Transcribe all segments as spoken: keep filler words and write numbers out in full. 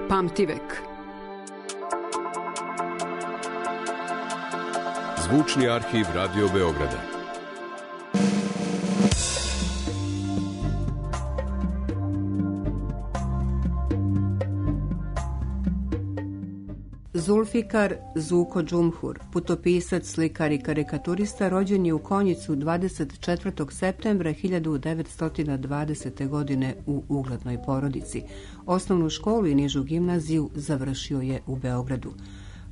Pamtivek. Zvučni arhiv Radio Beograda. Zulfikar Zuko Džumhur, putopisac, slikar i karikaturista, rođen je u Konjicu dvadeset četvrtog septembra hiljadu devetsto dvadesete. godine u uglednoj porodici. Osnovnu školu i nižu gimnaziju završio je u Beogradu.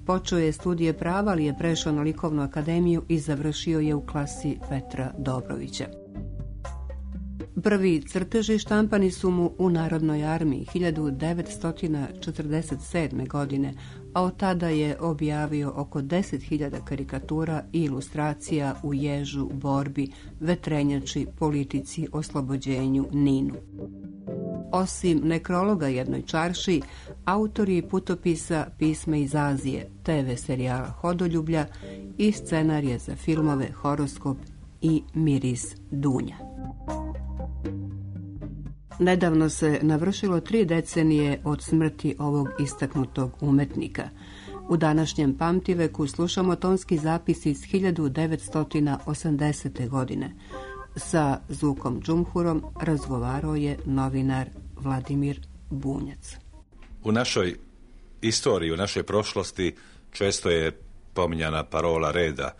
Počeo je studije prava, ali je prešao na likovnu akademiju i završio je u klasi Petra Dobrovića. Prvi crteži štampani su mu u Narodnoj armiji hiljadu devetsto četrdeset sedme. godine, a od tada je objavio oko deset hiljada karikatura i ilustracija u Ježu, Borbi, Vetrenjači, Politici, Oslobođenju, Ninu. Osim nekrologa jednoj čarši, autor je putopisa Pisma iz Azije, te ve serijala Hodoljublja i scenarije za filmove Horoskop i Miris Dunja. Nedavno se navršilo tri decenije od smrti ovog istaknutog umetnika. U današnjem Pamtiveku slušamo tonski zapis iz hiljadu devetsto osamdesete. godine. Sa Zukom Džumhurom razgovarao je novinar Vladimir Bunjac. U našoj istoriji, u našoj prošlosti često je pominjana parola reda.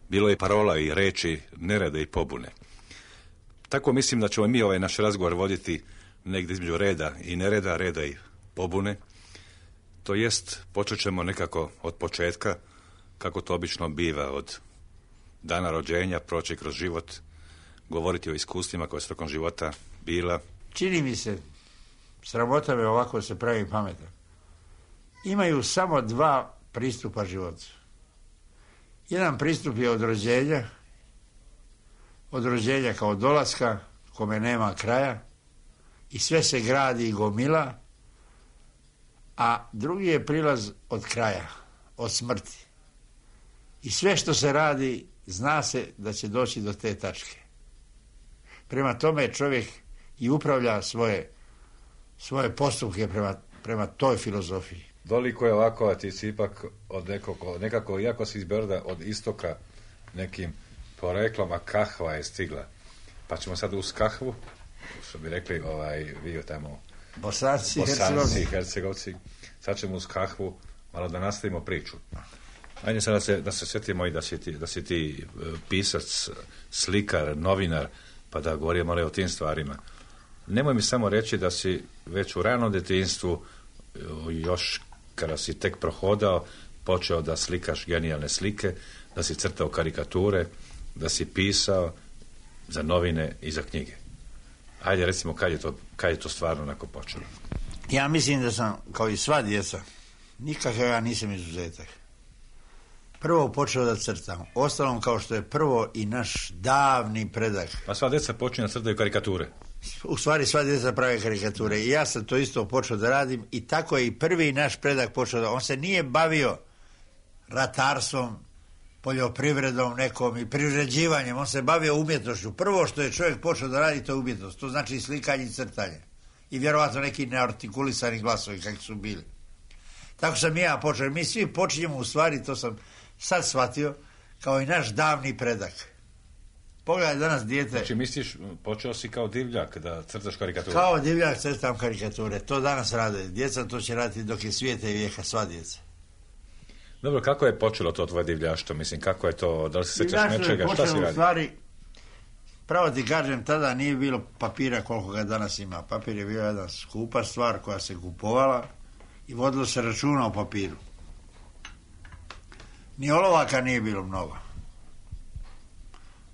Bilo je parola i reči nereda i pobune. Tako mislim da ćemo mi ovaj naš razgovor voditi negdje između reda i nereda, reda i pobune. To jest, počet ćemo nekako od početka, kako to obično biva, od dana rođenja, proći kroz život, govoriti o iskustvima koje su tokom života bila. Čini mi se, sramota me ovako se pravi pametan. Imaju samo dva pristupa životu. Jedan pristup je od rođenja, od rođenja kao dolaska, kome nema kraja, i sve se gradi i gomila, a drugi je prilaz od kraja, od smrti. I sve što se radi, zna se da će doći do te tačke. Prema tome čovjek i upravlja svoje, svoje postupke prema, prema toj filozofiji. Doliko je ovako, a ti si ipak od nekako, nekako iako si iz Beograda, od istoka nekim poreklom, a kahva je stigla. Pa ćemo sad uz kahvu, što bi rekli ovaj, vi tamo Bosanci, Bosanci, Hercegovci. Sad ćemo uz kahvu malo da nastavimo priču. Ajde sad da se, da se sjetimo i da si ti, da si ti pisac, slikar, novinar, pa da govorimo malo o tim stvarima. Nemoj mi samo reći da si već u ranom djetinjstvu, još kada si tek prohodao, počeo da slikaš genijalne slike, da si crtao karikature, da si pisao za novine i za knjige. Ajde, recimo, kad je to, kad je to stvarno onako počelo? Ja mislim da sam, kao i sva djeca, nikakav ja nisam izuzetak. Prvo počeo da crtam. Ostalom, kao što je prvo i naš davni predak. Pa sva djeca počinju da crtaju karikature. U stvari sva djeca prave karikature. I ja sam to isto počeo da radim. I tako je i prvi naš predak počeo da... On se nije bavio ratarstvom, poljoprivredom nekom i privređivanjem. On se bavio umjetnošću. Prvo što je čovjek počeo da radi, to je umjetnost. To znači slikanje i crtanje. I vjerovatno neki neartikulisani glasovi kakvi su bili. Tako sam i ja počeo. Mi svi počinjemo u stvari, to sam sad shvatio, kao i naš davni predak. Pogledaj danas dijete... Znači misliš, počeo si kao divljak da crtaš karikature? Kao divljak crtam karikature. To danas rade. Djeca to će raditi dok je svijeta i vijeka, sva djeca. Dobro, kako je počelo to tvoje divljaštvo? Mislim, kako je to, da li se sjećaš nečega, šta si radi? U stvari, pravo ti kažem, tada nije bilo papira koliko ga danas ima. Papir je bio jedna skupa stvar koja se kupovala i vodilo se računa o papiru. Ni olovaka nije bilo mnogo.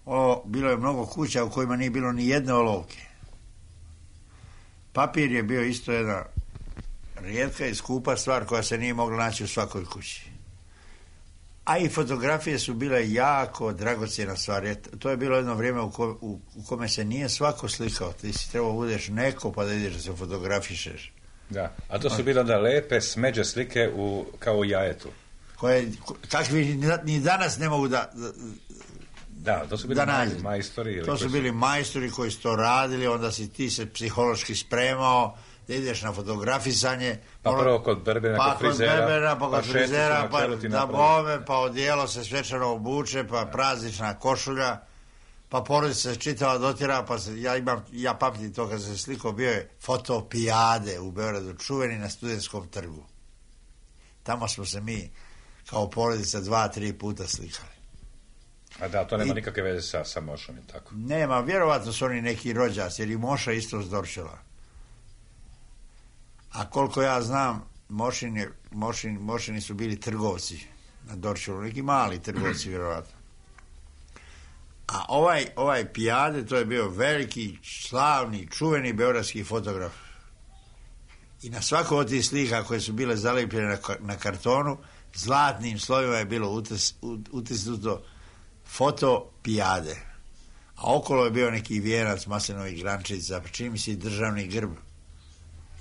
O, bilo je mnogo kuća u kojima nije bilo ni jedne olovke. Papir je bio isto jedna rijetka i skupa stvar koja se nije mogla naći u svakoj kući. A i fotografije su bile jako dragocjena stvar. To je bilo jedno vrijeme u, ko, u, u kome se nije svako slikao. Ti si trebao budeš neko pa da ideš da se fotografišeš. Da, a to su bile onda lepe smeđe slike u, kao u jajetu. Koje, kakvi ni danas ne mogu da, Da, to su bili da maj, nađe. majstori. Ili To su koji bili majstori koji su to radili, onda si ti se psihološki spremao, da ideš na fotografisanje. Pa prvo kod berbera, pa kod frizera, kod berbera, pa kod pa frizera, šesticu pa na čelu ti da napravi. bome, pa odijelo se svečano obuče, pa praznična košulja, pa porodica se čitava dotjera, pa se, ja imam, ja pamtim to kad se sliko, bio je fotopijade u Beogradu, čuveni na Studentskom trgu. Tamo smo se mi kao porodica dva, tri puta slikali. A da, to nema I- nikakve veze sa, sa Mošom i tako. Nema, vjerovatno su oni neki rođaci, jer i Moša isto s Dorčela. A koliko ja znam, Mošin je, Mošin, Mošini su bili trgovci na Dorčelu, neki mali trgovci vjerovatno. A ovaj, ovaj Pijade, to je bio veliki, slavni, čuveni beogradski fotograf. I na svakoj od tih slika koje su bile zalijepljene na, ka- na kartonu, zlatnim slovima je bilo utis, ut- utisnuto foto Pijade. A okolo je bio neki vijenac maslinovih grančica, čini mi se i državni grb.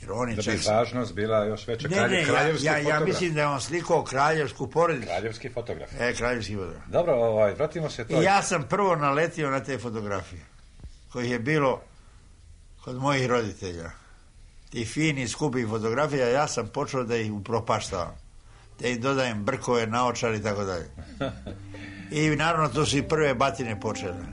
Jer on je Da čak... bi važnost bila još veća. Ne, Kralje, ne, ja, kraljevski ja, ja fotograf. mislim da je on slikao kraljevsku porodicu. Kraljevski fotograf. E, kraljevski fotograf. Dobro, ovaj, vratimo se to. I ja sam prvo naletio na te fotografije, kojih je bilo kod mojih roditelja. Ti fini, skupi fotografija, ja sam počeo da ih upropaštavam. Da im dodajem brkove, naočare i tako dalje. I naravno to su i prve batine počele.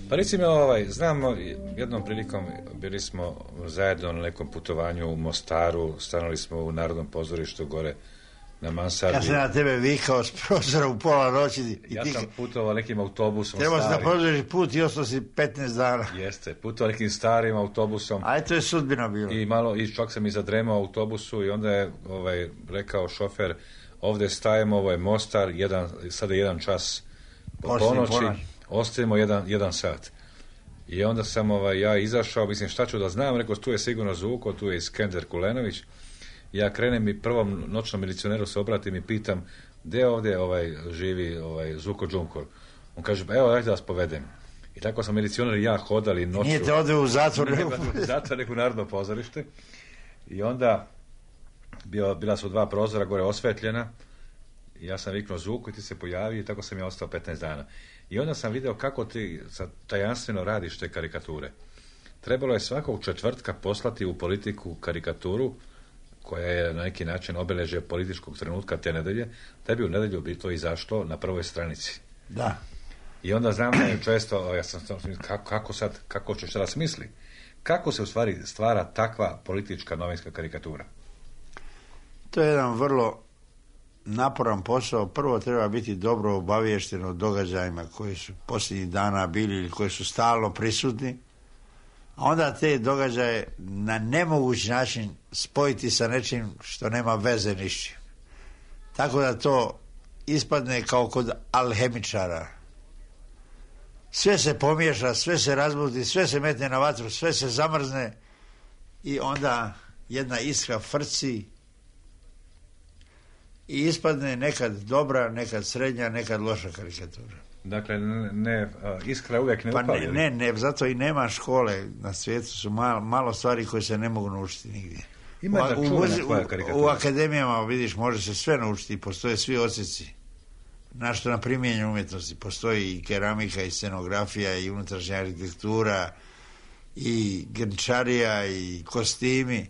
Pa recimo, ovaj, znamo, jednom prilikom bili smo zajedno na nekom putovanju u Mostaru, stanuli smo u Narodnom pozorištu gore na Mansardi. Ja sam na tebe vikao s prozora u pola noći. I Ja ti sam putovao nekim autobusom trebao si da starim. produžiš put i ostao si petnaest dana. Jeste, putovao nekim starim autobusom. A to je sudbina bilo. I malo, i čak sam i zadremao u autobusu i onda je ovaj, rekao šofer, ovdje stajemo, ovo je Mostar, jedan, sada je jedan čas po Poslije ponoći, ponoć. ostajemo jedan, jedan sat. I onda sam ovaj, ja izašao, mislim šta ću da znam, rekao tu je sigurno Zuko, tu je Iskender Kulenović. Ja krenem i prvom noćnom milicioneru se obratim i pitam, gdje ovdje ovaj, živi ovaj, Zuko Džunkor? On kaže, pa evo, dajte da vas povedem. I tako sam milicioner i ja hodali noću. Nije te ode u zatvor. Nije u zatvor, nego u Narodno pozorište. I onda bio, bila su dva prozora gore osvetljena. I ja sam viknuo Zuku i ti se pojavi i tako sam ja ostao petnaest dana. I onda sam video kako ti sad tajanstveno radiš te karikature. Trebalo je svakog četvrtka poslati u Politiku karikaturu koja je na neki način obilježje političkog trenutka te nedelje, da bi u nedelju bi to izašlo na prvoj stranici. Da. I onda znam da je često, ja sam kako, kako sad, kako će šta da smisli? Kako se u stvari stvara takva politička novinska karikatura? To je jedan vrlo naporan posao. Prvo treba biti dobro obaviješten o događajima koji su posljednjih dana bili ili koji su stalno prisutni, a onda te događaje na nemoguć način spojiti sa nečim što nema veze ni s čim. Tako da to ispadne kao kod alhemičara. Sve se pomiješa, sve se razbuti, sve se metne na vatru, sve se zamrzne i onda jedna iskra frci i ispadne nekad dobra, nekad srednja, nekad loša karikatura. Dakle, ne, iskra uvijek ne Pa upali. ne, ne, ne, zato i nema škole. Na svijetu su malo, malo stvari koje se ne mogu naučiti nigdje. Ima u, jedna u, čuvena muze- tvoja u, karikatura. u akademijama, vidiš, može se sve naučiti, postoje svi odsjeci. Našto na primjenju umjetnosti, postoji i keramika, i scenografija, i unutrašnja arhitektura, i grnčarija, i kostimi,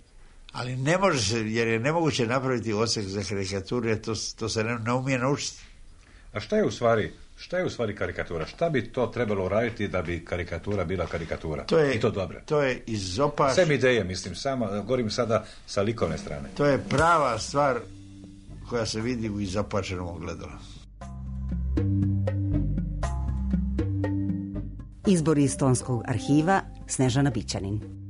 ali ne može se, jer je nemoguće napraviti odsjek za karikaturu, jer to, to se ne, ne umije naučiti. A šta je u stvari, šta je u stvari karikatura? Šta bi to trebalo uraditi da bi karikatura bila karikatura? To je, I to dobro. To je izopaš... Sve ideje, mislim, samo, govorim sada sa likovne strane. To je prava stvar koja se vidi u izopačenom ogledalu. Izbor iz Tonskog arhiva, Snežana Bićanin.